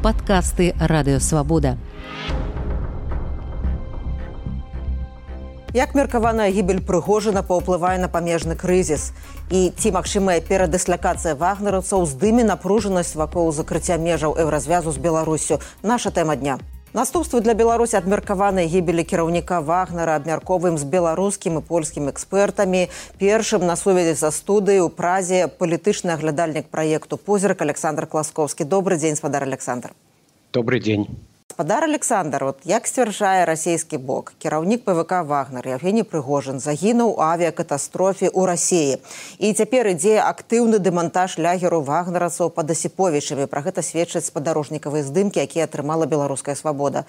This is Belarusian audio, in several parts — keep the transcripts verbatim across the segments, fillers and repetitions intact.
Падкасты Радыёвабода. Як меркаваная гібель Прыгожына паўплывае на памежны крызіс? І ці магчымая перадыслакацыя вагнераўцаў здыме напружанасць вакол закрыцця межаў еўразвязу з Беларуссю? Наша тэма дня. Наступствы для Беларусі ад меркаванай гібелі кіраўніка Вагнера абмяркоўваем з беларускім і польскім экспертамі. Першым на сувязі са студыяй у Празе палітычны аглядальнік праекту «Позірк» Александр Класкоўскі. Добрый дзень, спадар Александр. Добрый дзень. Спадар Александр, от як сцвярджае расійскі бок, кіраўнік ПВК «Вагнер» Евгений Прыгожын загінуў у авіякатастрофе ў Расіі. І цяпер ідзе актыўны дэмантаж лягеру вагнераўцаў пад Асіповічамі. Пра гэта сведчаць спадарожнікавыя здымкі, якія атрымала «Беларуская свабода».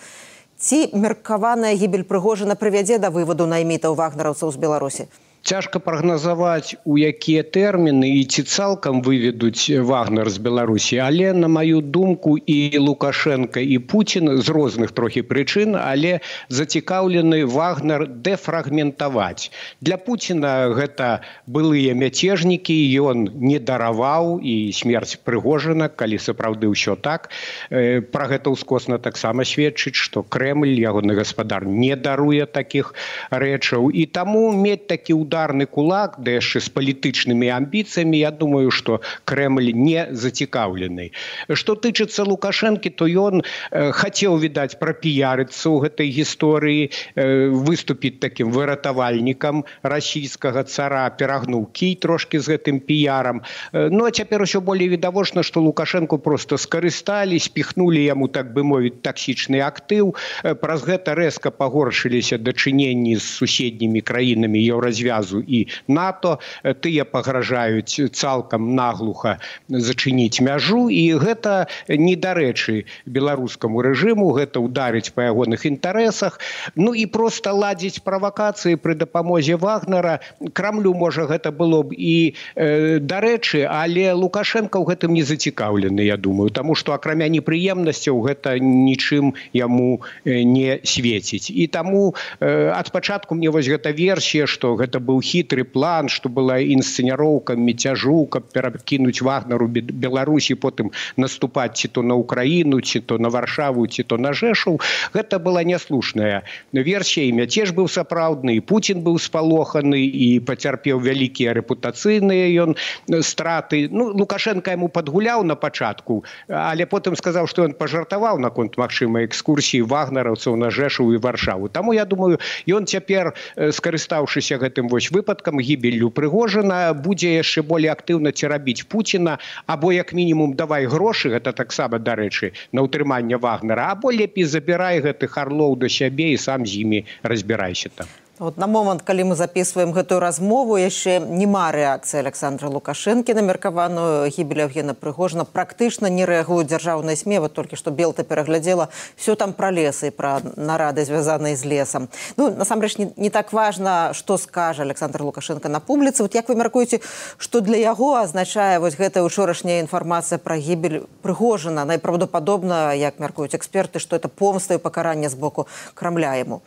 Ці меркаваная гібель Прыгожына прывядзе да вываду наймітаў вагнераўцаў з Беларусі? Цяжка прагназаваць, у якія тэрміны і ці цалкам выведуць Вагнер з Беларусі, але, на маю думку, і Лукашенко, і Путін з розных трохі прычын, але зацікаўлены Вагнер дэфрагментаваць. Для Пуціна гэта былыя мяцежнікі, ён не дараваў і смерць Прыгожына, калі сапраўды ўсё так. Пра гэта ўскосна таксама сведчыць, што Крэмль, ягоны гаспадар, не даруе такіх рэчаў. І таму мець такі ўдар ударны кулак, да яшчэ з палітычнымі амбіцыямі, я думаю, што Крэмль не зацікаўлены. Што тычыцца Лукашэнкі, то ён э, хацеў, відаць, прапіярыцца ў гэтай гісторыі, э, выступіць такім выратавальнікам расійскага цара, перагнуў кій трошкі з гэтым піярам. Э, ну, а цяпер усё болей відавочна, што Лукашэнку проста скарысталі, спіхнулі яму, так бы мовіць, таксічны актыў. Э, праз гэта рэзка пагоршыліся дачыненні з суседнімі краінамі Еўразвязу і НАТО, тыя пагражаюць цалкам наглуха зачыніць мяжу, і гэта недарэчы беларускаму рэжыму, гэта ударыць па ягоных інтарэсах. Ну і проста ладзіць правакацыі пры дапамозе Вагнера. Крамлю, можа, гэта было б і э, дарэчы, але Лукашенко ў гэтым не зацікаўлены, я думаю, таму што акрамя непрыемнасцяў гэта нічым яму э, не свеціць. І таму э, ад пачатку мне вось гэта версія, што гэта быў хітры план, што была інсцэняроўка мяцяжу, каб перакінуць Вагнеру Беларусі, потым наступаць ці то на Украіну, ці то на Варшаву, ці то на Жэшаў. Гэта была няслушная версія, і мяцеж быў сапраўдны, і Путін быў спалоханы, і пацярпеў вялікія рэпутацыйныя ён страты. Ну, Лукашенко яму падгуляў на пачатку, але потым сказаў, што ён пажартаваў наконт магчымай экскурсіі вагнераўцаў на Жэшаў і Варшаву. Таму, я думаю, ён цяпер, скарыстаўшыся гэтым вось выпадкам гібеллю Прыгожына, будзе яшчэ болей актыўна церабіць Пуціна, або як мінімум давай грошы, гэта таксама, дарэчы, на ўтрыманне Вагнера, або лепей забірай гэтых арлоў да сябе і сам з імі разбірайся там. Вот на момант, калі мы записываем гэтую размову, яшчэ няма рэакцыі Александра Лукашэнкі на меркаваную гібель Евгена Прыгожына. Практычна не рэагуюць дзяржаўныя СМІ. Вот толькі што Белта пераглядзела все там пра лесы і пра нарады, звязаныя з лесам. Ну, насамрэч, не, не так важна, што скажа Александр Лукашенко на публіцы. Вот як вы мяркуеце, што для яго азначае вось гэтая учорашняя інфармацыя пра гібель Прыгожына? Найпраўдападобна, як мяркуюць эксперты, што это помста і пакаранне з боку Крамля яму.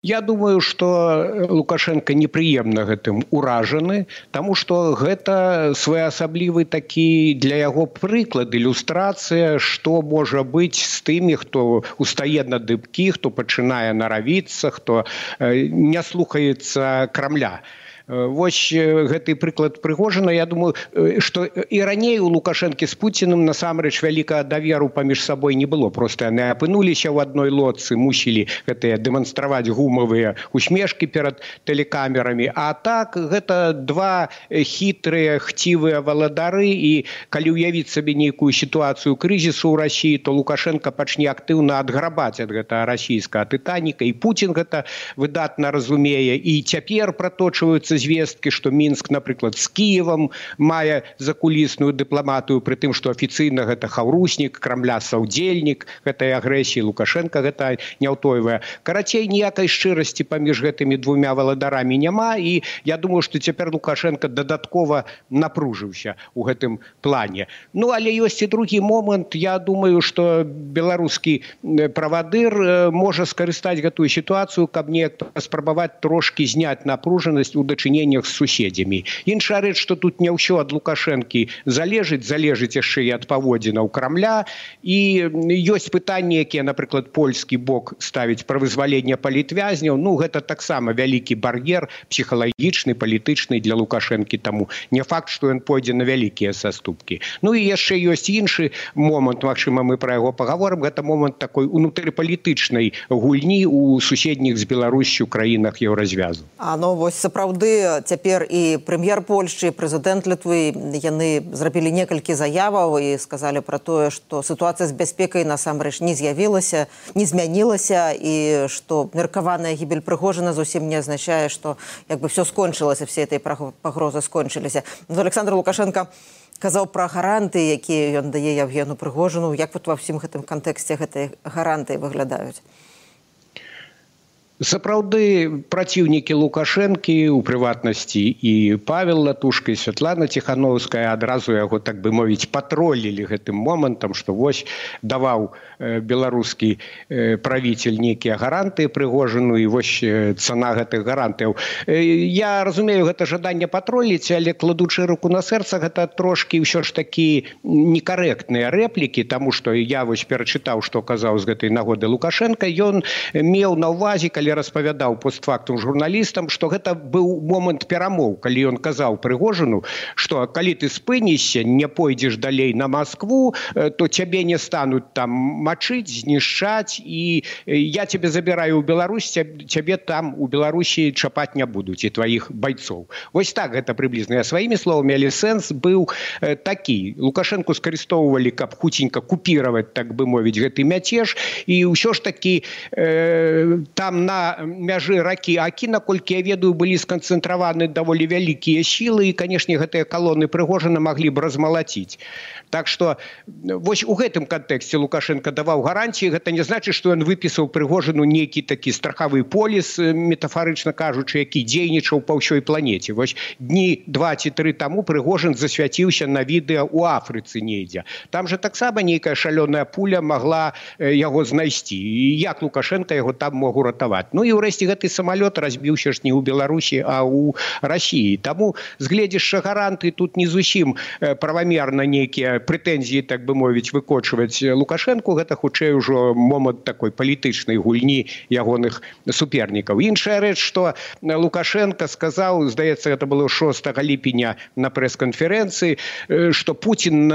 Я думаю, што Лукашенко непрыемна гэтым уражаны, таму што гэта своеасаблівы такі для яго прыклад, ілюстрацыя, што можа быць з тымі, хто устае на дыбкі, хто пачынае наравіцца, хто не слухаецца Крамля. Вось гэты прыклад Прыгожына, я думаю, што і раней у Лукашэнкі з Пуціным насамрэч вялікага даверу паміж сабой не было. Проста яны апынуліся ў адной лодцы, мусілі гэтыя дэманстраваць гумавыя усмешкі перад тэлекамерамі. А так, гэта два хітрыя, хцівыя валадары, і калі ўявіць сабе нейкую сітуацыю крызісу ў Расіі, то Лукашенко пачне актыўна адграбаць ад гэтага расійскага Тытаніка, і Путін гэта выдатна разумее, і цяпер праточваюцца звесткі, што Мінск, напрыклад, з Кіевам мае закулісную дыпламатыю, пры тым, што афіцыйна гэта хаўруснік, Крамля саўдзельнік гэтай агрэсіі, Лукашенко гэта не ўтойвае. Карацей, ніякай шчырасці паміж гэтымі двумя валадарамі няма, і я думаю, што цяпер Лукашенко дадаткова напружыўся ў гэтым плане. Ну, але ёсць і другі момант. Я думаю, што беларускі правадыр можа скарыстаць гэтую сітуацыю, каб неяк паспрабаваць трошкі зняць напружанасць у дачыненні сучыненнях з суседзямі. Іншая рэч, што тут не ўсё ад Лукашэнкі залежыць, залежыць яшчэ і ад паводзінаў Крамля, і ёсць пытанні, якія, напрыклад, польскі бок ставіць пра вызваленне палітвязняў. Ну, гэта таксама вялікі бар'ер псіхалагічны, палітычны для Лукашэнкі, таму не факт, што ён пойдзе на вялікія саступкі. Ну і яшчэ ёсць іншы момант, магчыма, мы пра яго пагаворым, гэта момант такой унутрыпалітычнай гульні ў суседніх з Беларуссю краінах еўразвязу. А ну вось сапраўды цяпер і прэм'ер Польшчы, і прэзідэнт Літвы, яны зрабілі некалькі заяваў і сказалі пра тое, што сітуацыя з бяспекай насамрэч не з'явілася, не змянілася, і што меркаваная гібель Прыгожина зусім не азначае, што як бы все скончылася, все этой пагрозы скончыліся. Александр Лукашенко казаў пра гаранты, якія ён дае Евгену Прыгожину. Як вот ва ўсім гэтым кантэксце гэтыя гаранты выглядаюць? Сапраўды праціўнікі Лукашэнкі, у прыватнасці і Павел Латушка, і Святлана Ціхановская адразу яго, так бы мовіць, патролілі гэтым момантам, што вось даваў беларускі правіцель нейкія гаранты Прыгожину, і вось цана гэтых гарантаў. Я разумею, гэта жаданне патроліць, але кладучы руку на сэрца, гэта трошкі ўсё ж такі некарэктныя рэплікі, таму што я вось перачытаў, што казаў з гэтай нагоды Лукашенко. Ён меў на ўвазе, калі распавядаў постфактум журналістам, што гэта быў момант перамоў, калі ён казаў Прыгожину, што калі ты спынішся, не пойдзеш далей на Москву, то цябе не стануць там мачыць, знішчаць, і я цябе забіраю ў Беларусь, цябе там у Беларусі чапаць не будуць, і тваіх байцоў. Вось так гэта прыблізна. Я сваімі словамі, але сэнс быў такі. Лукашэнку скарыстоўвалі, каб хуценька купіраваць, так бы мовіць, гэты мяцеж, і ўсё ж такі э, там на мяжы ракі Акі, наколькі я ведаю, былі сканцэнтраваны даволі вялікія сілы, і, канешне, гэтыя калоны Прыгожина маглі б размалаціць. Так што вось у гэтым кантэксце Лукашенко даваў гарантіі. Гэта не значыць, што ён выпісаў Прыгожину нейкі такі страхавы поліс, метафарычна кажучы, які дзейнічаў па ўсёй планеце. Вось дні два ці тры таму Прыгожин засвяціўся на відэа ў Афрыцы недзе. Там жа таксама нейкая шалёная пуля магла яго знайсці. І як Лукашенко яго там мог уратаваць? Ну і ўрэшце гэты самалёт разбіўся ж не ў Беларусі, а ў Расіі. Таму з гледзяшча гаранты тут не зусім правамерна нейкія прэтэнзіі, так бы мовіць, выкочваць Лукашэнку. Гэта хутчэй ужо момант такой палітычнай гульні ягоных супернікаў. Іншая рэч, што Лукашенко сказаў, здаецца, гэта было шостага ліпеня на прэс-канферэнцыі, што Пуцін,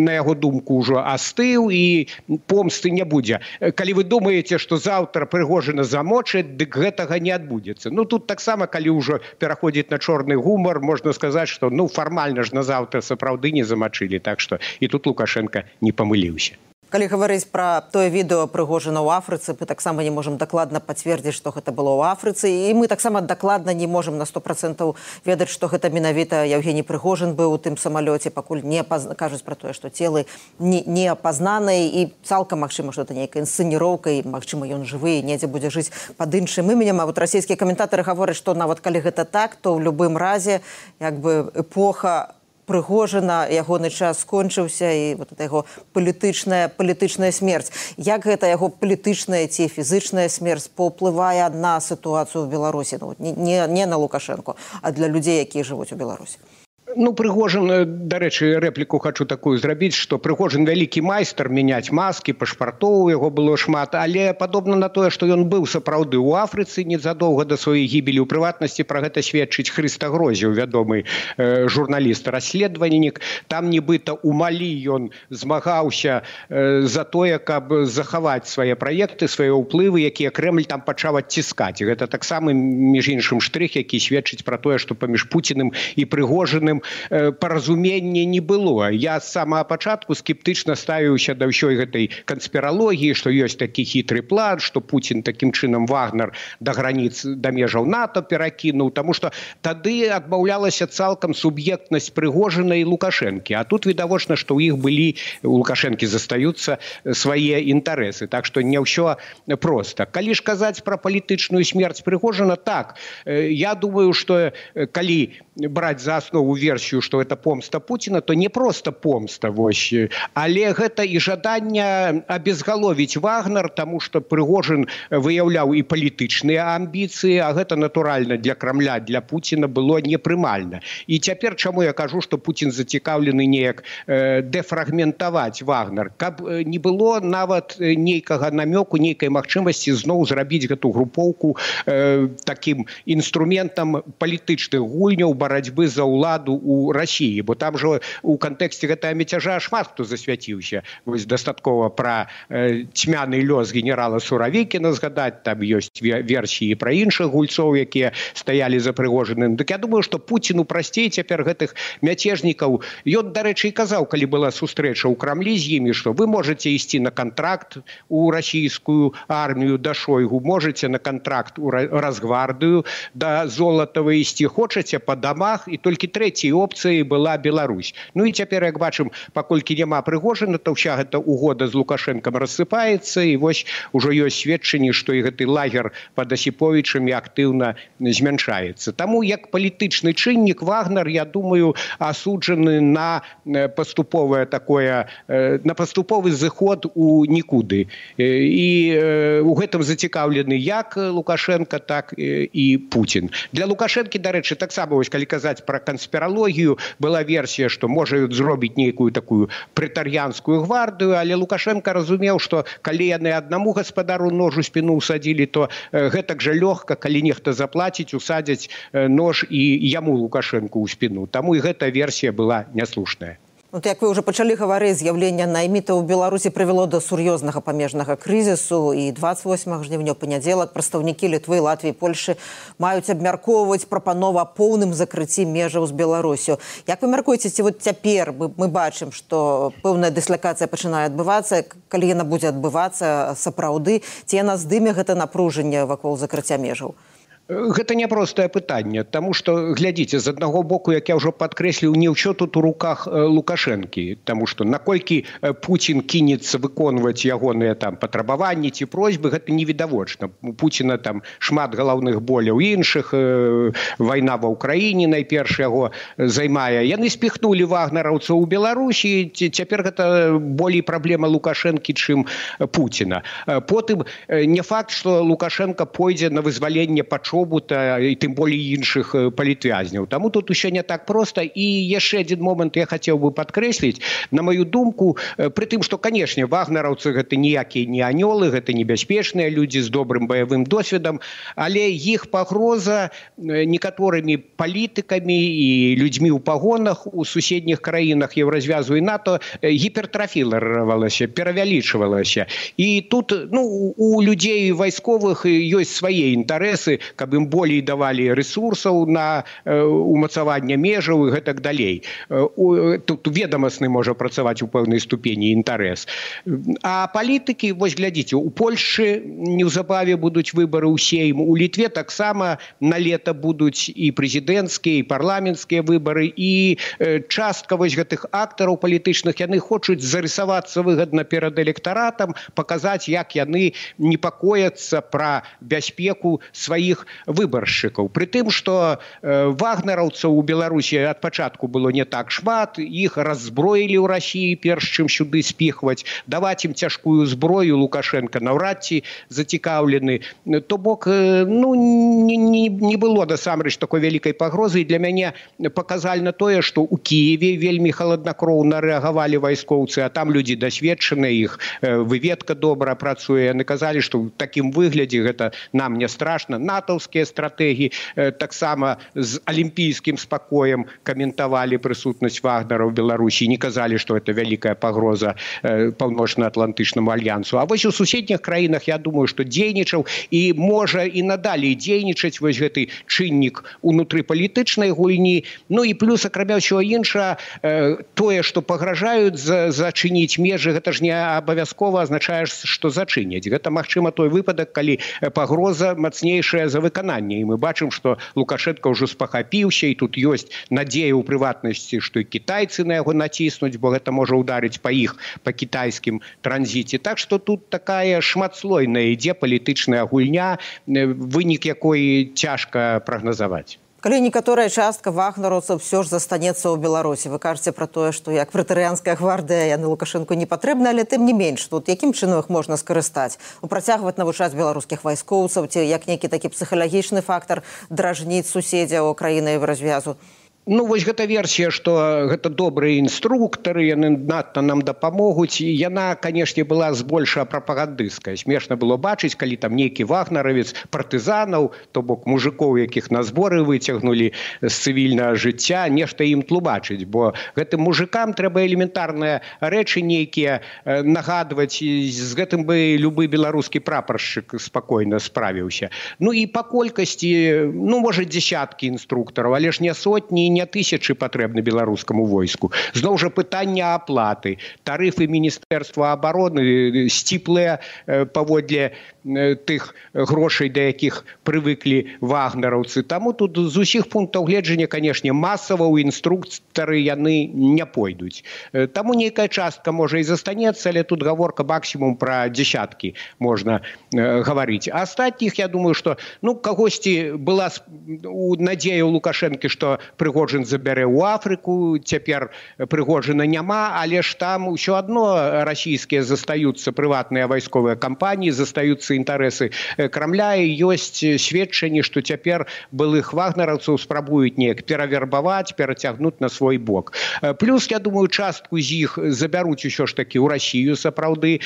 на яго думку, ўжо астыў і помсты не будзе. Калі вы думаеце, што заўтра Прыгожина замочыць, дык гэтага не адбудзецца. Ну, тут таксама, калі ўжо пераходзіць на чорны гумар, можна сказаць, што, ну, фармальна ж назаўтра сапраўды не замачылі. Так што і тут Лукашенко не памыліўся. Калі гаварыць пра тое відэо Прыгожина ў Афрыцы, мы таксама не можам дакладна пацвердзіць, што гэта было ў Афрыцы, і мы таксама дакладна не можам на сто процентаў ведаць, што гэта менавіта Евгений Прыгожин быў у тым самалёце, пакуль не апаз... кажуць пра тое, што целы не, не апазнаныя, і цалкам магчыма, што это нейкая інсцэніроўка, і магчыма, ён жывы, і недзе будзе жыць пад іншым іменем. А вот расійскія каментатары гавораць, што нават калі гэта так, то ў любым разе як бы эпоха Прыгожина, ягоны час скончыўся, і вот это яго палітычная палітычная смерць. Як гэта яго палітычная ці фізычная смерць паўплывае на сітуацыю ў Беларусі? Ну, не, не на Лукашэнку, а для людзей, якія жывуць у Беларусі. Ну, Прыгожин, дарэчы, рэпліку хочу такую зрабіць, што Прыгожин вялікі майстар мяняць маскі, пашпартоў, яго было шмат, але падобна на тое, што ён быў сапраўды ў Афрыцы незадоўга да сваёй гібелі. У прыватнасці пра гэта сведчыць Хрыста Грозеў, вядомы э, журналіст-расследавальнік. Там нібыта ў Малі ён змагаўся э, за тое, каб захаваць свае праекты, свае ўплывы, якія Крэмль там пачаў адціскаць. Гэта таксама, між іншым, штрых, які сведчыць пра тое, што паміж Пуціным і Прыгожиным паразумення не было. Я з самага пачатку скептычна ставіўся да ўсёй гэтай канспіралогіі, што ёсць такі хітры план, што Пуцін такім чынам Вагнер да граніц, да межаў НАТО перакінуў, таму што тады адмаўлялася цалкам суб'ектнасць Прыгожина і Лукашэнкі. А тут відавочна, што ў іх былі, у Лукашэнкі застаюцца свае інтарэсы. Так што не ўсё проста. Калі ж казаць пра палітычную смерць Прыгожина, так, я думаю, што калі браць за аснову версію версію, што это помста Пуціна, то не проста помста, вось, але гэта і жаданне абезгаловіць Вагнер, таму што Прыгожин выяўляў і палітычныя амбіцыі, а гэта натуральна для Крамля, для Пуціна было непрымальна. І цяпер чаму я кажу, што Пуцін зацікаўлены неяк э, дэфрагментаваць Вагнер, каб не было нават нейкага намёку, нейкай магчымасці зноў зрабіць гэту групоўку э, такім інструментам палітычных гульняў барацьбы за ўладу ў Расіі, бо там жа у кантэксце гэтага мяцяжа шмат хто засвяціўся. Вось дастаткова пра э, цьмяны лёс генерала Суравікіна згадаць, там ёсць версіі пра іншых гульцоў, якія стаялі за Прыгожиным. Дык я думаю, што Пуціну прасцей цяпер гэтых мяцежнікаў. Ён, дарэчы, і казаў, калі была сустрэча ў Крамлі з імі, што вы можаце ісці на кантракт у расійскую армію да Шойгу, можаце на кантракт у Росгвардыю да Золатава ісці, хочаце па дамах, і толькі трэцяй опцыяй была Беларусь. Ну і цяпер, як бачым, паколькі няма Прыгожина, то ўся гэта угода з Лукашэнкам рассыпаецца, і вось ужо ёсць сведчанні, што і гэты лагер пад Асіповічамі актыўна змяншаецца. Таму як палітычны чыннік Вагнер, я думаю, асуджаны на паступовае такое, на паступовы зыход у нікуды. І у гэтым зацікаўлены як Лукашенко, так і Путін. Для Лукашэнкі, дарэчы, таксама, вось калі казаць пра канспіралогію, была версія, што можа зробіць нейкую такую прэтар'янскую гвардыю, але Лукашенко разумеў, што калі яны аднаму гаспадару нож у спіну ўсадзілі, то гэтак жа лёгка, калі нехта заплаціць, усадзяць нож і яму Лукашенку ў спіну. Таму і гэта версія была няслушная. Вот, як вы уже пачалі гаварыць, з'яўленне наймітаў у Беларусі прывяло да сур'ёзнага памежнага крызісу, і дваццаць восьмага жніўня ў панядзелак прадстаўнікі Літвы, Латвіі, Польшы маюць абмяркоўваць прапанову аб поўным закрыцці межаў з Беларусю. Як вы мяркуеце, ці вот цяпер мы, мы бачым, што пэўная дыслакацыя пачынае адбывацца, калі яна будзе адбывацца сапраўды, ці яна здыме гэта напружанне вакол закрыцця межаў? Гэта няпростае пытанне, таму што, глядзіце, з аднаго боку, як я ўжо падкрэсліў, не ўсё тут у руках Лукашэнкі, таму што наколькі Пуцін кінецца выконваць ягоныя там патрабаванні ці просьбы, гэта невідавочна. У Пуціна там шмат галаўных боляў іншых, вайна ва ўкраіне найперш яго займае. Яны спіхнулі вагнераўцаў у Беларусі, цяпер гэта болей праблема Лукашэнкі, чым Пуціна. Потым не факт, што Лукашенко пойдзе на вызваленне пачоўку і тым болей іншых палітвязняў. Таму тут усё не так проста. І яшчэ адзін момант я хацеў бы падкрэсліць. На маю думку, пры тым, што, канешне, вагнераўцы гэта ніякія не анёлы, гэта небяспечныя людзі з добрым баявым досведам, але іх пагроза некаторымі палітыкамі і людзьмі ў пагонах у суседніх краінах Еўразвязу і НАТО гіпертрафілавалася, перавялічвалася. І тут, ну, у людзей вайсковых ёсць свае інтарэсы, каб ім болей давалі рэсурсаў на умацаванне межаў і гэтак далей. Тут ведамасны можа працаваць у пэўнай ступені інтарэс. А палітыкі, вось глядзіце, у Польшчы неўзабаве будуць выбары ў Сейм, у Літве таксама на лета будуць і прэзідэнцкія, і парламенцкія выбары, і частка вось гэтых актараў палітычных, яны хочуць зарысавацца выгадна перад электаратам, паказаць, як яны непакояцца пра бяспеку сваіх выбаршчыкаў. Пры тым, што э, вагнераўцаў у Беларусі ад пачатку было не так шмат, іх раззброілі ў Расіі, перш чым сюды спіхваць, даваць ім цяжкую зброю Лукашенко наўрад ці зацікаўлены. То бок, э, ну, не, не, не было насамрэч такой вялікай пагрозы, і для мяне паказальна тое, што ў Кіеве вельмі халаднакроўна рэагавалі вайскоўцы, а там людзі дасведчаныя, іх э, выведка добра працуе. Яны казалі, што ў такім выглядзе гэта нам не страшна. Натаўскія стратэгіі э, таксама з алімпійскім спакоем каментавалі прысутнасць Вагнера ў Беларусі, не казалі, што это вялікая пагроза э, паўночна-атлантычнаму альянсу. А вось у суседніх краінах, я думаю, што дзейнічаў і можа і надалей дзейнічаць вось гэты чыннік унутры палітычнай гульні. Ну і плюс, акрамя ўсяго іншага, э, тое, што пагражаюць за, зачыніць межы, гэта ж не абавязкова азначае, што зачыняць. Гэта, магчыма, той выпадак, калі пагроза мацнейшая за выкананне. І мы бачым, што Лукашенко ўжо спахапіўся, і тут ёсць надзея ў прыватнасці, што і кітайцы на яго націснуць, бо гэта можа ўдарыць па іх, па кітайскім транзіце. Так што тут такая шматслойная ідзе палітычная гульня, вынік якой цяжка прагназаваць. Калі некаторая частка вагнераўцаў все ж застанецца ў Беларусі, вы кажаце пра тое, што як прэтарыянская гвардыя яны Лукашэнку не патрэбны, але тым не менш, тут якім чынам іх можна скарыстаць? Працягваць навучаць беларускіх вайскоўцаў, ці як нейкі такі псіхалагічны фактар дражніць суседзяў краіны в развязу? Ну, вось гэта версія, што гэта добрыя інструктары, яны надта нам дапамогуць. І яна, канешне, была збольшая прапагандысцкая. Смешна было бачыць, калі там нейкі вагнаравец партызанаў, то бок мужикоў, якіх на зборы выцягнулі з цывільнага жыцця, нешта ім тлумачыць. Бо гэтым мужикам трэба элементарныя рэчы нейкія нагадваць. І з гэтым бы любы беларускі прапаршчык спакойна справіўся. Ну і па колькасці, ну, можа, дзесяткі інструктараў, але ж не сотні, не тысячы патрэбны беларускаму войску. Зноў жа пытанне аплаты. Тарыфы Міністэрства абароны сціплыя паводле тых грошай, да якіх прывыклі вагнераўцы. Таму тут з усіх пунктаў гледжання, канешне, масава ў інструктары яны не пойдуць. Таму нейкая частка можа і застанецца, але тут гаворка максімум пра дзесяткі можна гаварыць. А астатніх, я думаю, што ну, кагосьці была надзея ў Лукашэнкі, што Прыгожин забярэ ў Афрыку, цяпер Прыгожина няма, але ж там ўсё адно расійскія застаюцца прыватныя вайсковыя кампаніі, застаюцца інтарэсы Крамля, і ёсць сведчанні, што цяпер былых вагнераўцаў спрабуюць неяк перавербаваць, перацягнуць на свой бок. Плюс, я думаю, частку з іх забяруць усё ж такі ў Расію, сапраўды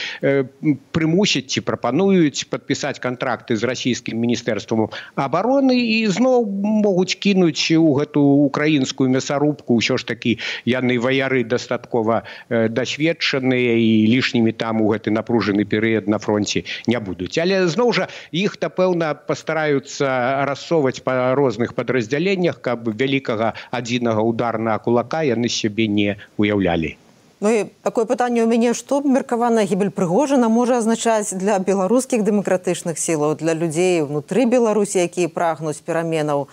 прымусяць ці прапануюць падпісаць кантракты з расійскім міністэрствам абароны і зноў могуць кінуць у гэту украінскую мясарубку. Ўсё ж такі яны ваяры дастаткова дасведчаныя і лішнімі там у гэты напружаны перыяд на фронце не будуць. Але зноў жа іх, напэўна, пастараюцца рассоўваць па розных падраздзяленнях, каб вялікага адзінага ударнага кулака яны сябе не уяўлялі. Ну і такое пытанне ў мяне, што меркаваная гібель Прыгожина можа азначаць для беларускіх дэмакратычных сілаў, для людзей унутры Беларусі, якія прагнуць пераменаў?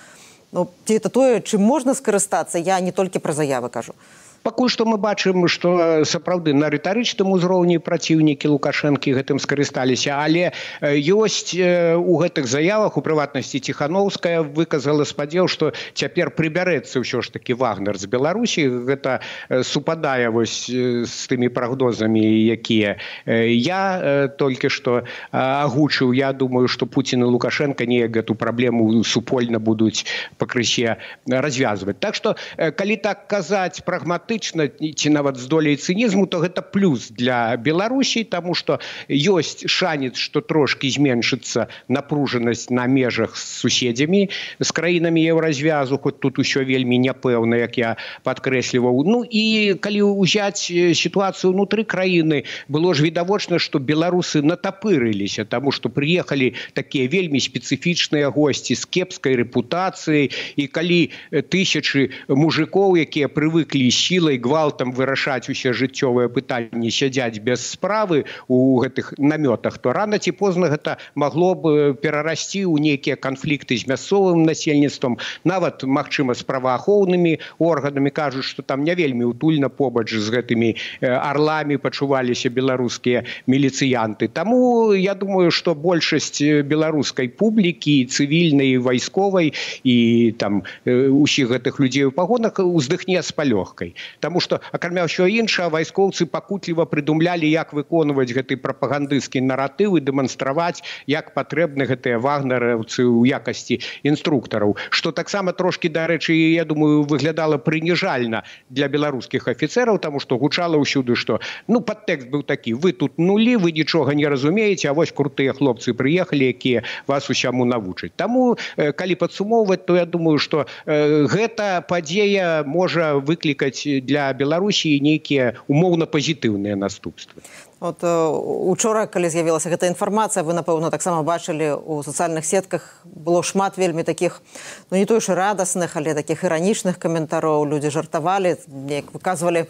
Ну, ці это тое, чым можна скарыстацца, я не толькі пра заявы кажу. Пакуль што мы бачым, што сапраўды на рытарычным узроўні праціўнікі Лукашэнкі гэтым скарысталіся, але ёсць у гэтых заявах, у прыватнасці Ціхановская выказала спадзеў, што цяпер прыбярэцца ўсё ж такі Вагнер з Беларусі. Гэта супадае вось з тымі прагнозамі, якія я толькі што агучыў. Я думаю, што Пуцін і Лукашенко неяк гэту праблему супольна будуць пакрысе развязваць. Так што, калі так казаць прагматычна, ці нават з доляй цынізму, то гэта плюс для Беларусі, таму што ёсць шанец, што трошкі зменшыцца напружанасць на межах з суседзямі, з краінамі еўразвязу, хоць тут усё вельмі няпэўна, як я падкрэсліваў. Ну і калі ўзяць сітуацыю ўнутры краіны, было ж відавочна, што беларусы натапырыліся, таму што прыехалі такія вельмі спецыфічныя госці з кепскай рэпутацыяй, і калі тысячы мужикоў, якія прывыклі сілай гвалтам вырашаць усе жыццёвыя пытанні, сядзяць без справы у гэтых намётах, то рана ці позна гэта магло б перарасці ў нейкія канфлікты з мясцовым насельніцтвам, нават, магчыма, з праваахоўнымі органамі. Кажуць, што там не вельмі утульна побач з гэтымі арламі пачуваліся беларускія міліцыянты. Таму я думаю, што большасць беларускай публікі, цывільнай, вайсковай і там усіх гэтых людзей у пагонах уздыхне з палёгкай. Таму што, акрамя ўсё іншае, вайскоўцы пакутліва прыдумлялі, як выконваць гэты прапагандысцкі наратыў і дэманстраваць, як патрэбны гэтыя вагнераўцы ў якасці інструктараў. Што таксама трошкі, дарэчы, я думаю, выглядала прыніжальна для беларускіх афіцэраў, таму што гучала ўсюды, што ну, падтэкст быў такі: вы тут нулі, вы нічога не разумееце, а вось крутыя хлопцы прыехалі, якія вас усяму навучаць. Таму, калі падсумоўваць, то я думаю, што гэта падзея можа выклікаць для Беларусі нейкія умоўна пазітыўныя наступствы. От учора, калі з'явілася гэта інфармацыя, вы, напэўна, таксама бачылі у сацыяльных сетках, было шмат вельмі такіх, ну не той ж радасных, але такіх іранічных каментароў. Людзі жартавалі, неяк выказвалі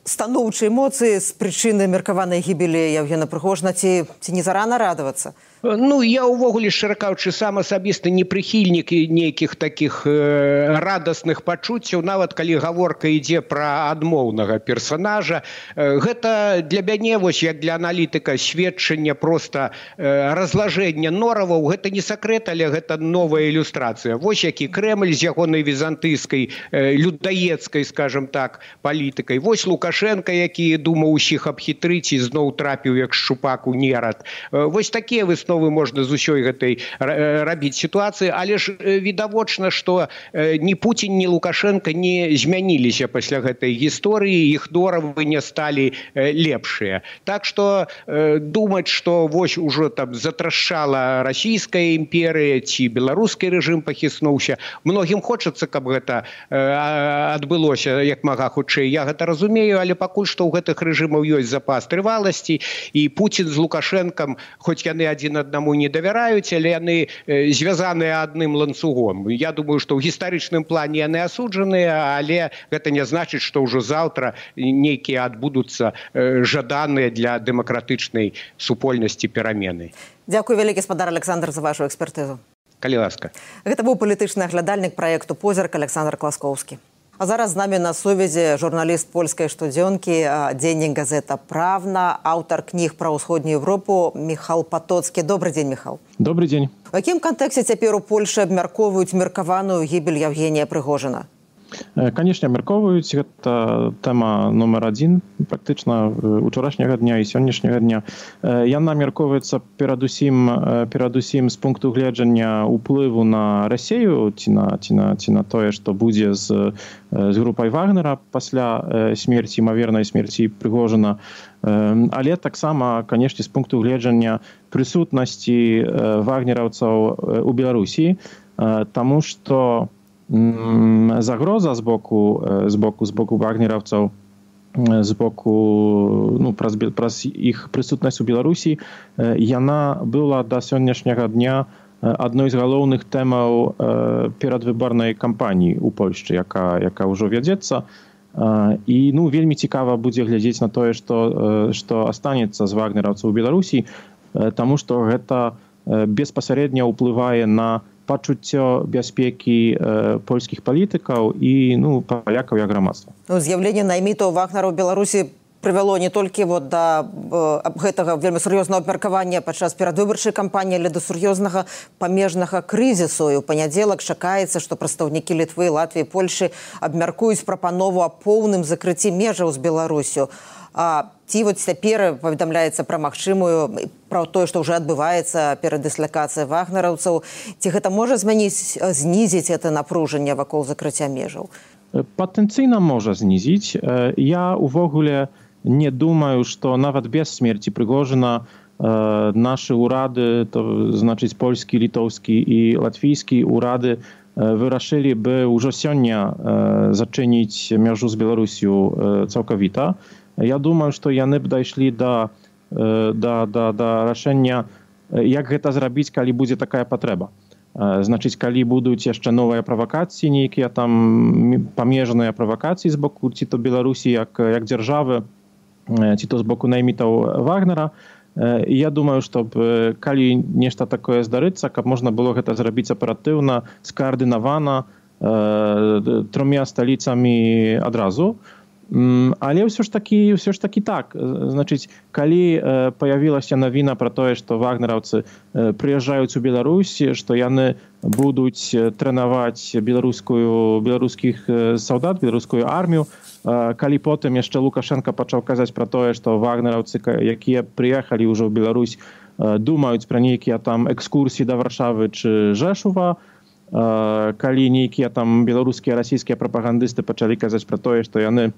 станоўчыя эмоцыі з прычыны меркаванай гібелі Евгена Прыгожина, ці, ці не зарана радавацца? Ну, я увогуле, шчыра кажучы, сам асабіста не прыхільнік нейкіх такіх э, радасных пачуццяў, нават калі гаворка ідзе пра адмоўнага персанажа. Э, гэта для мяне, вось як для аналітыка, сведчанне проста э, разлажэння нораваў. Гэта не сакрэт, але гэта новая ілюстрацыя. Вось які Крэмль з ягонай візантыйскай, э, людаецкай, скажем так, палітыкай. Вось Лукашенко, які думаў усіх абхітрыць і зноў трапіў як шчупак у нерад. Э, вось такія высновы можна з усёй гэтай рабіць сітуацыі, але ж відавочна, што ні Пуцін, ні Лукашенко не змяніліся пасля гэтай гісторыі, іх норавы не сталі лепшыя. Так што думаць, што вось ужо там затрашчала расійская імперыя ці беларускі рэжым пахіснуўся, многім хочацца, каб гэта адбылося як мага хутчэй. Я гэта разумею, але пакуль што ў гэтых рэжымаў ёсць запас трываласці, і Пуцін з Лукашэнкам, хоць яны адзін аднаму не давяраюць, але яны звязаныя адным ланцугом. Я думаю, што ў гістарычным плане яны асуджаныя, але гэта не значыць, што ўжо заўтра нейкія адбудуцца жаданыя для дэмакратычнай супольнасці перамены. Дзякуй вялікі, спадар Александр, за вашу экспертызу. Калі ласка. Гэта быў палітычны аглядальнік праекту «Позірк» Александр Класкоўскі. А зараз з намі на сувязі журналіст польскай штодзёнкі, дзеннік газета «Правна», аўтар кніг пра ўсходнюю Европу Міхал Патоцкі. Добрый дзень, Міхал. Добрый дзень. У якім кантэксце цяпер у Польшы абмяркоўваюць меркаваную гібель Евгения Прыгожина? Канешне, абмяркоўваюць. Гэта тэма нумар адзін практычна учарашняга дня і сённяшняга дня. Яна абмяркоўваецца перадусім перадусім з пункту гледжання ўплыву на Расею ці на ці на ці на тое, што будзе з з групай Вагнера пасля смерці, імавернай смерці Прыгожина. Але таксама, канешне, з пункту гледжання прысутнасці вагнераўцаў у Беларусі, таму што загроза з боку з боку з боку вагнераўцаў, з боку, ну, праз, праз іх прысутнасць у Беларусі, яна была да сённяшняга дня адной з галоўных тэмаў перадвыбарнай кампаніі ў Польшчы, яка яка ўжо вядзецца. І, ну, вельмі цікава будзе глядзець на тое, што што астанецца з вагнераўцаў у Беларусі, таму што гэта беспасярэдна ўплывае на пачуццё бяспекі э, польскіх палітыкаў і, ну, палякаў як грамадства. Ну, з'яўленне наймітаў Вагнера ў Беларусі прывяло не толькі вот да э, гэтага вельмі сур'ёзнага абмеркавання падчас перадвыбарчай кампаніі, але да сур'ёзнага памежнага крызісу. І ў панядзелак чакаецца, што прадстаўнікі Літвы, Латвіі, Польшы абмяркуюць прапанову аб поўным закрыцці межаў з Беларусю. А ці вот цяпер паведамляецца пра магчымую, пра тое, што ўжо адбываецца перадыслакацыя вагнераўцаў. Ці гэта можа змяніць, знізіць гэта напружанне вакол закрыцця межаў? Патэнцыйна можа знізіць. Я увогуле не думаю, што нават без смерці Прыгожина нашы ўрады, то значыць польскі, літоўскі і латвійскі ўрады, вырашылі бы ўжо сёння зачыніць мяжу з Беларусю цалкавіта. Я думаю, што яны б дайшлі да, да, да, да рашэння, як гэта зрабіць, калі будзе такая патрэба. Значыць, калі будуць яшчэ новыя правакацыі, нейкія там памежныя правакацыі з боку ці то Беларусі як, як дзяржавы, ці то з боку наймітаў Вагнера. Я думаю, што калі нешта такое здарыцца, каб можна было гэта зрабіць аператыўна, скаардынавана, трьома сталіцамі адразу. Але ўсё ж такі, ўсё ж такі так. Значыць, калі паявілася навіна пра тое, што вагнераўцы прыязджаюць у Беларусь, што яны будуць трэнаваць беларускую, беларускіх салдат, беларускую армію, калі потым яшчэ Лукашенко пачаў казаць пра тое, што вагнераўцы, якія прыехалі ўжо ў Беларусь, думаюць пра нейкія там экскурсіі да Варшавы чи Жэшува, калі нейкія там беларускія, расійскія прапагандысты пачалі казаць пра тое, што яны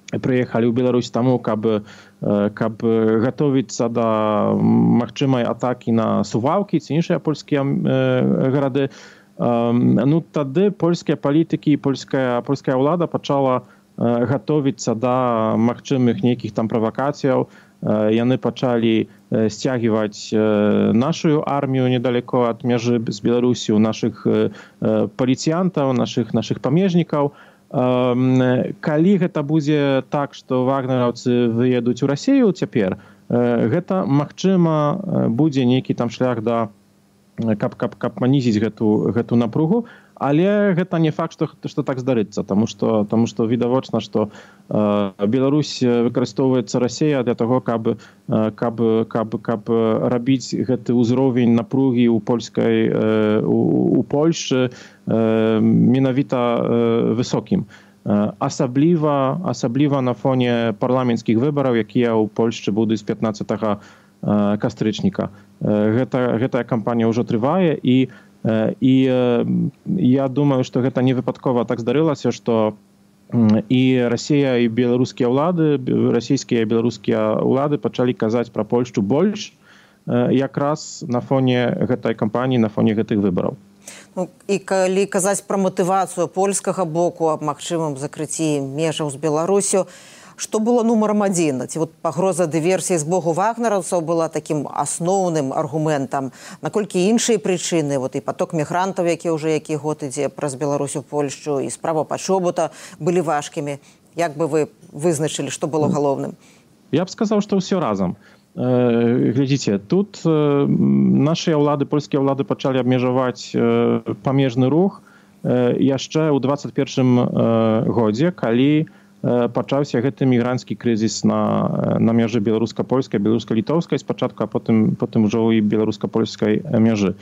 прыехалі ў Беларусь таму, каб, каб гатовіцца да магчымай атакі на Сувалкі ці іншыя польскія гарады. Ну, тады польскія палітыкі і польская, польская ўлада пачала гатовіцца да магчымых нейкіх там правакацыяў. Яны пачалі сцягіваць нашу армію недалеко ад мяжы з Беларусю, нашых паліцыянтаў, нашых, нашых памежнікаў. Калі гэта будзе так, што вагнераўцы выедуць у Расію цяпер, гэта, магчыма, будзе нейкі там шлях да, каб, каб, каб манізіць гэту, гэту напругу, але гэта не факт, што, што так здарыцца, таму што, таму што відавочна, што э, Беларусь выкарыстоўваецца Расія для таго, каб, каб, каб, каб рабіць гэты ўзровень напругі ў польскай, э, у, у Польшчы э, менавіта э, высокім. Асабліва, асабліва на фоне парламенцкіх выбараў, якія ў Польшчы будуць пятнаццатага кастрычніка. Гэта, гэтая кампанія ўжо трывае, і І я думаю, што гэта не выпадкова так здарылася, што і Расія, і беларускія ўлады, расійскія і беларускія ўлады пачалі казаць пра Польшчу больш якраз на фоне гэтай кампаніі, на фоне гэтых выбараў. Ну, і калі казаць пра матывацыю польскага боку аб магчымым закрыцці межаў з Беларусю, што было нумарам адзін? Ці вот пагроза дыверсіі з боку вагнераўцаў была такім асноўным аргументам? Наколькі іншыя прычыны, вот і поток мігрантаў, які ўжо які год ідзе праз Беларусь у Польшчу, і справа пачобута былі важкімі? Як бы вы вызначылі, што было галоўным? Я б сказаў, што ўсё разам. Глядзіце, тут нашыя ўлады, польскія ўлады пачалі абмежаваць памежны рух яшчэ ў дваццаць першым годзе, калі пачаўся гэты мігранцкі крызіс на, на мяжы беларуска-польскай, беларуска-літоўскай спачатку, а потым, потым ужо і беларуска-польскай мяжы.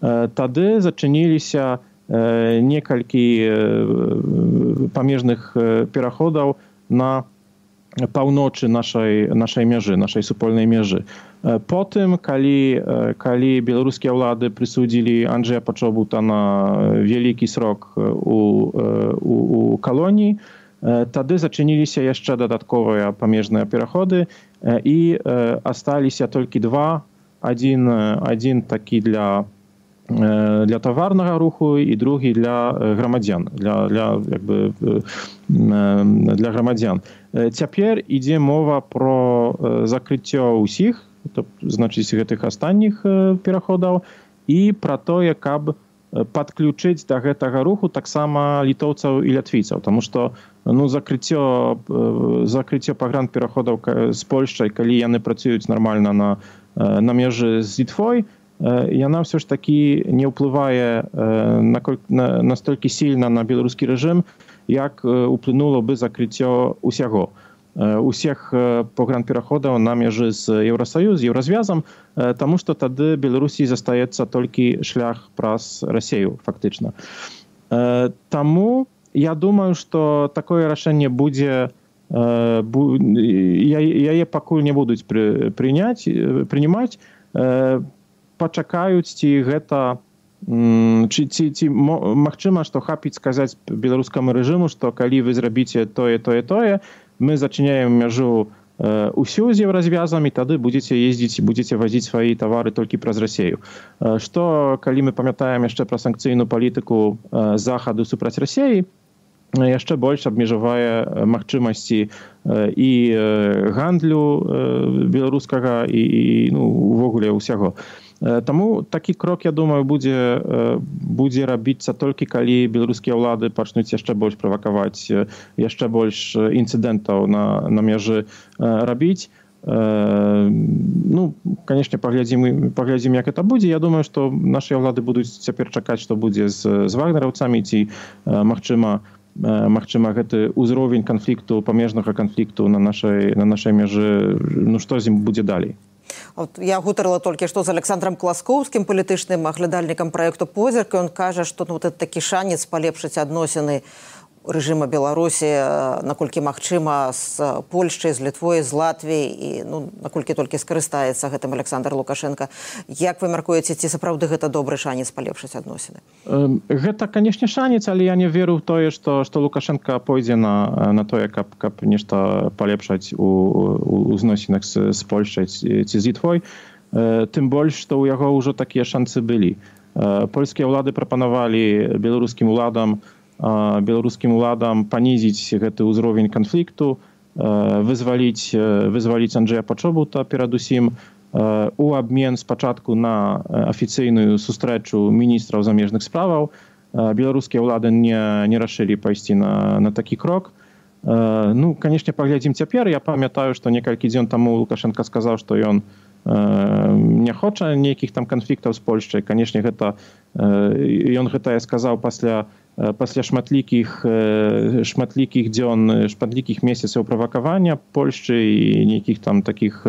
Тады зачыніліся некалькі памежных пераходаў на паўночы нашай, нашай мяжы, нашай супольнай мяжы. Потым, калі, калі беларускія ўлады прысудзілі Анджэя Пачобута на вялікі срок у, у, у калоніі, тады зачыніліся яшчэ дадатковыя памежныя пераходы, і асталіся толькі два. Адзін, адзін такі для, для таварнага руху і другі для грамадзян, для, для, як бы, для грамадзян. Цяпер ідзе мова про закрыццё ўсіх, то, значыць, гэтых астатніх пераходаў, і пра тое, каб падключыць да гэтага руху таксама літоўцаў і лятвійцаў, таму што ну, закрыццё, закрыццё пагранпераходаў з Польшчай, калі яны працуюць нармальна на, на мяжы з Літвой, яна ўсё ж такі не ўплывае настолькі сильна на беларускі рэжым, як уплынуло бы закрыццё усяго. Усіх пагранпераходаў на мяжы з Еўрасаюз, з Еўразвязам, таму што тады Беларусі застаецца толькі шлях праз Расію, фактычна. Таму я думаю, што такое рашэнне будзе, яе пакуль не будуць прыняць, прынимаць, пачакаюць, ці гэта, ці, ці, ці магчыма, што хапіць сказаць беларускаму рэжыму, што калі вы зрабіце тое, тое, тое, мы зачыняем мяжу усю з Еўразвязам, і тады будзеце ездзіць, будзеце вазіць свае тавары толькі праз Расію. Што, калі мы памятаем яшчэ пра санкцыйную палітыку захаду супраць Расіі, яшчэ больш абмежавае магчымасці і гандлю беларускага, і, і ну, увогуле ўсяго. Таму такі крок, я думаю, будзе, будзе рабіцца толькі калі беларускія ўлады пачнуць яшчэ больш правакаваць, яшчэ больш інцыдэнтаў на, на мяжы рабіць. Ну, канешне, паглядзім, паглядзім, як это будзе. Я думаю, што нашыя ўлады будуць цяпер чакаць, што будзе з, з вагнераўцамі, ці магчыма, магчыма, гэты ўзровень канфлікту, памежнага канфлікту на нашай, на нашай мяжы, ну, што з ім будзе далей. От я гутарыла толькі што з Александром Класкоўскім, палітычным аглядальнікам праекту «Позірк», і ён кажа, што ну, вот такі шанец палепшыць адносіны рэжыма Беларусі, наколькі магчыма, з Польшчай, з Літвой, з Латвіяй, і ну, наколькі толькі скарыстаецца гэтым Александр Лукашенко. Як вы мяркуеце, ці сапраўды гэта добры шанец палепшыць адносіны? Гэта, канешне, шанец, але я не веру ў тое, што, што Лукашенко пойдзе на, на тое, каб, каб нешта палепшаць у, у, у зносінах з, з Польшчай ці, ці з Літвой. Тым больш, што ў яго ўжо такія шанцы былі. Польскія ўлады прапанавалі беларускім уладам беларускім уладам панізіць гэты ўзровень канфлікту, вызваліць, вызваліць Анджэя Пачобута перадусім у абмен спачатку на афіцыйную сустрэчу міністраў замежных справаў, беларускія ўлады не, не рашылі пайсці на, на такі крок. Ну, канешне, паглядзім цяпер. Я памятаю, што некалькі дзён таму Лукашенко сказаў, што ён не хоча нейкіх там канфліктаў з Польшчай. Канешне, гэта ён гэта сказаў пасля пасля шматлікіх шматлікіх дзён, шматлікіх месяцаў правакавання Польшчы і нейкіх там такіх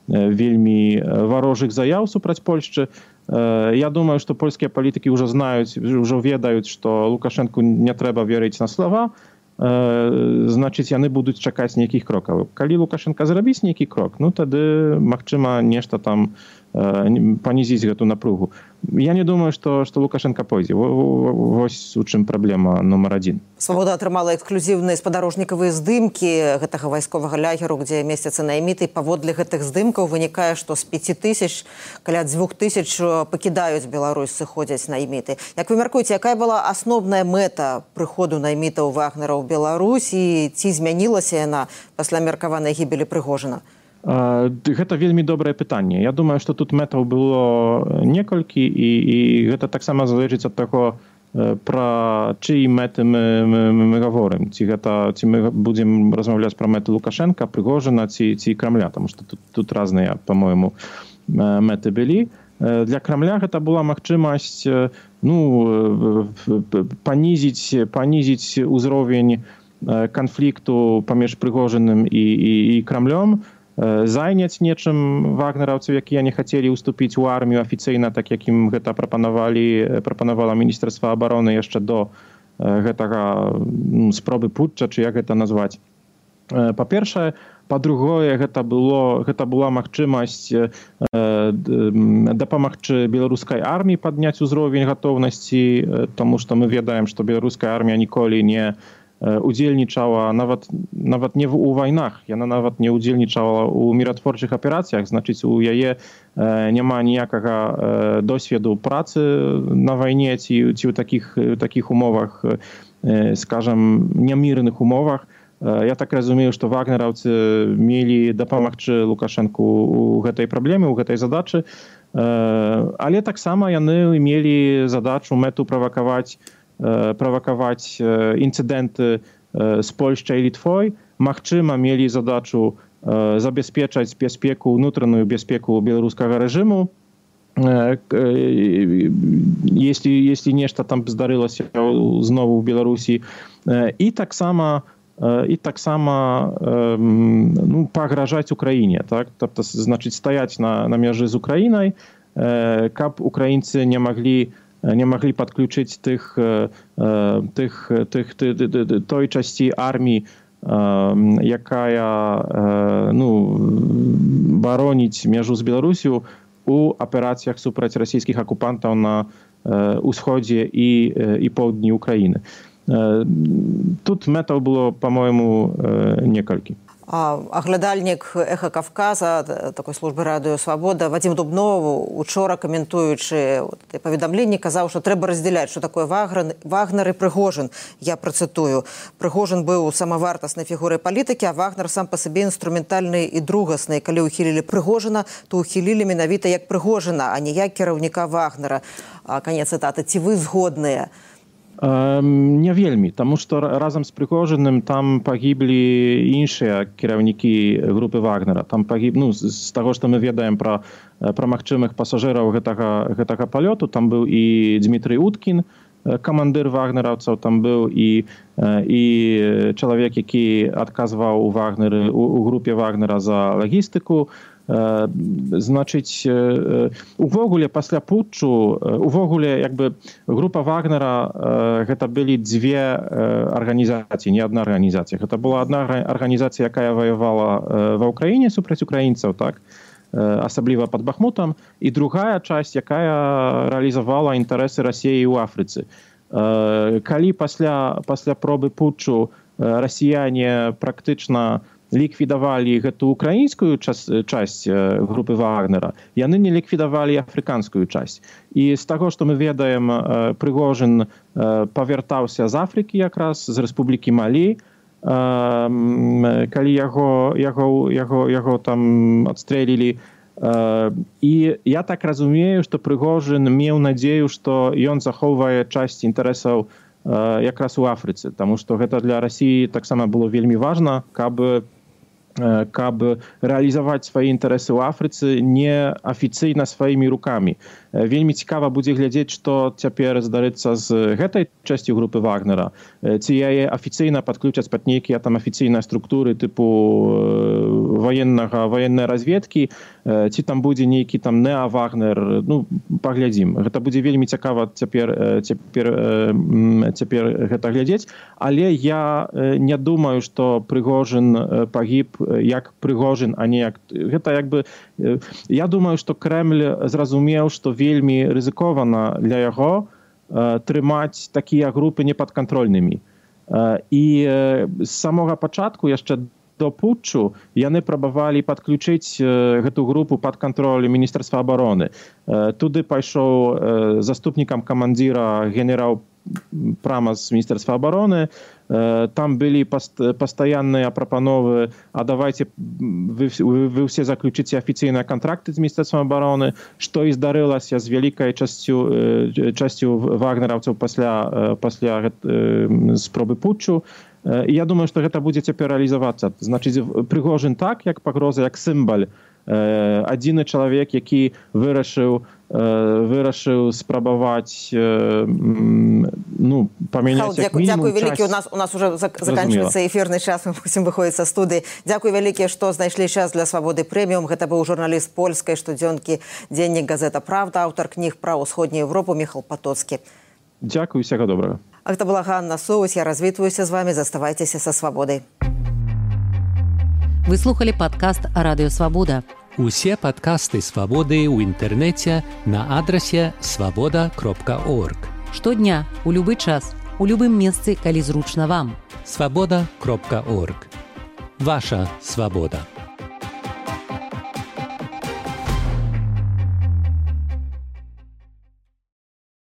вельмі варожых заяў супраць Польшчы. Я думаю, што польскія палітыкі ўжо знаюць, ўжо ведаюць, што Лукашенку не трэба верыць на слова. Значыць, яны будуць чакаць нейкіх крокаў. Калі Лукашенко зрабіць нейкі крок, ну тады, магчыма, нешта там панізіць гэту напругу. Я не думаю, што, што Лукашенко пойдзе. Вось у чым праблема нумар адзін. Свабода атрымала эксклюзіўныя спадарожнікавыя здымкі гэтага вайсковага лагеру, дзе месяцца найміты. Паводле гэтых здымкаў вынікае, што з пяці тысяч каля дзвюх тысяч пакідаюць Беларусь, сыходзяць найміты. Як вы мяркуеце, якая была асноўная мэта прыходу наймітаў Вагнера ў Беларусь і ці змянілася яна пасля меркаванай гібелі Прыгожына? Гэта вельмі добрае пытанне. Я думаю, што тут мэтаў было некалькі, і, і гэта таксама залежыць ад таго, пра чыі мэты мы, мы, мы гаворым. Ці, гэта, ці мы будзем размаўляць пра мэты Лукашенка, Прыгожына, ці, ці Крамля, таму што тут, тут разныя, па-моему, мэты былі. Для Крамля гэта была магчымасць ну, панізіць, панізіць узровень канфлікту паміж Прыгожыным і, і, і Крамлём, зайняць нечым вагнераўцаў, якія не хацелі ўступіць у армію афіцыйна, так як ім гэта прапанавалі, прапанавала Міністэрства абароны яшчэ до гэтага ну, спробы путча, чи як гэта назваць. Па-першае, па-другое, гэта было гэта была магчымасць э, дапамагчы беларускай арміі падняць узровень гатоўнасці, таму што мы ведаем, што беларуская армія ніколі не удзельнічала нават, нават не ў вайнах, яна нават не удзельнічала ў міратворчых аперацыях, значыць, у яе няма ніякага досведу працы на вайне ці, ці ў такіх, такіх умовах, скажам, нямірных умовах. Я так разумею, што вагнераўцы мелі дапамагчы Лукашенку ў гэтай праблеме, ў гэтай задачы, але таксама яны мелі задачу, мэту правакаваць правакаваць інцыдэнты з Польшчай і Літвой. Магчыма, мелі задачу забяспечаць бяспеку, унутраную бяспеку беларускага рэжыму. Если, если нешта там здарылася знову ў Беларусі. І таксама і таксама ну, пагражаць Украіне. Так? Тобто, значыць, стаяць на, на мяжы з Украінай, каб украінцы не маглі не могли подключить тых, тых, тых, той часті армії, якая ну, бароніць межу з Беларусю у апераціях супраць расійскіх акупантаў на усходзе і, і поўдні Украіны. Тут мэтаў было, по-моему, некалькі. Аглядальнік «Эха Кавказа», такой службы радыё «Свабода», Вадзім Дубнов, учора каментуючы паведамленні, казаў, што трэба раздзяляць, што такое Вагнер і Прыгожын. Я працытую. Прыгожын быў самавартаснай фігурай палітыкі, а Вагнер сам па сабе інструментальны і другасны. Калі ўхілілі Прыгожына, то ўхілілі менавіта як Прыгожына, а не як кіраўніка Вагнера. Канец цытаты. Ці вы згодныя? Не вельмі, таму што разам з Прыгожыным там пагіблі іншыя кіраўнікі групы Вагнера. Там пагіб, ну, з таго, што мы ведаем пра, пра магчымых пасажыраў гэтага, гэтага палёту, там быў і Дмітрый Уткін, камандыр вагнераўцаў, там быў і, і чалавек, які адказваў у Вагнеры, у, у групе Вагнера за лагістыку. Значыць, увогуле пасля путчу, увогуле як бы група Вагнера гэта былі дзве арганізацыі, не адна арганізацыя. Гэта была адна арганізацыя, якая ваявала ва ўкраіне супраць украінцаў, так, асабліва пад Бахмутам, і другая часть, якая рэалізавала інтарэсы Расіі ў Афрыцы. Калі пасля, пасля пробы путчу расіяне практычна ліквідавалі гэту украінскую часть групы Вагнера, яны не ліквідавалі афрыканскую часть. І з таго, што мы ведаем, Прыгожын павяртаўся з Афрыкі якраз, з Рэспублікі Малі, калі яго, яго, яго, яго там адстрэлілі І я так разумею, што Прыгожин меў надзею, што ён захоўвае часць інтарэсаў якраз у Афрыцы, таму што гэта для Расіі таксама было вельмі важна, каб каб рэалізаваць свае інтарэсы ў Афрыцы не афіцыйна сваімі рукамі. Вельмі цікава будзе глядзець, што цяпер здарыцца з гэтай часцю групы Вагнера. Ці яе афіцыйна падключаць пад нейкія там афіцыйныя структуры тыпу ваеннага ваеннай разведкі, ці там будзе нейкі там неа-Вагнер, ну, паглядзім. Гэта будзе вельмі цікава цяпер, цяпер, цяпер гэта глядзець, але я не думаю, што Прыгожин пагіб як Прыгожин, а не як... Гэта як бы... Я думаю, што Крэмль зразумеў, што вельмі рызыкована для яго трымаць такія групы непадкантрольнымі. І з самога пачатку, яшчэ до путчу, яны прабавалі падключыць гэту групу пад кантроль Міністэрства абароны. Туды пайшоў заступнікам камандзіра генерал прямо з Міністэрства абароны. Там былі пастаянныя прапановы, а давайте вы, вы, вы ўсе заключыце афіцыйныя кантракты з Міністэрствам абароны, што і здарылася з вялікай часцю, часцю вагнераўцаў пасля, пасля спробы путчу. Я думаю, што гэта будзе цяпер рэалізавацца. Значыць, Прыгожин так, як пагроза, як сімвал. Адзіны чалавек, які вырашыў вырашыў спрабаваць ну, памяняць як мінімум Дякую вялікі. У нас, у нас уже заканчивается эфирный час, мы мусім выходзіць са студыі. Дякую вялікі, што знайшлі час для Свабоды прэміум. Гэта быў журналіст польскай штодзёнкі «Дзеннік газета Правда», аўтар кніг пра ўсходнюю Европу Міхал Патоцкі. Дякую, всяго добрага. А гэта была Ганна Соус, я развітваюся з вами, заставайцеся са Свабодай. Вы слухали падкаст «Радыё Свабода». Усе падкасты Свабоды ў інтэрнэце на адрасе свабода кропка орг. Штодня, у любы час, у любым месцы, калі зручна вам. свабода кропка орг. Ваша свабода.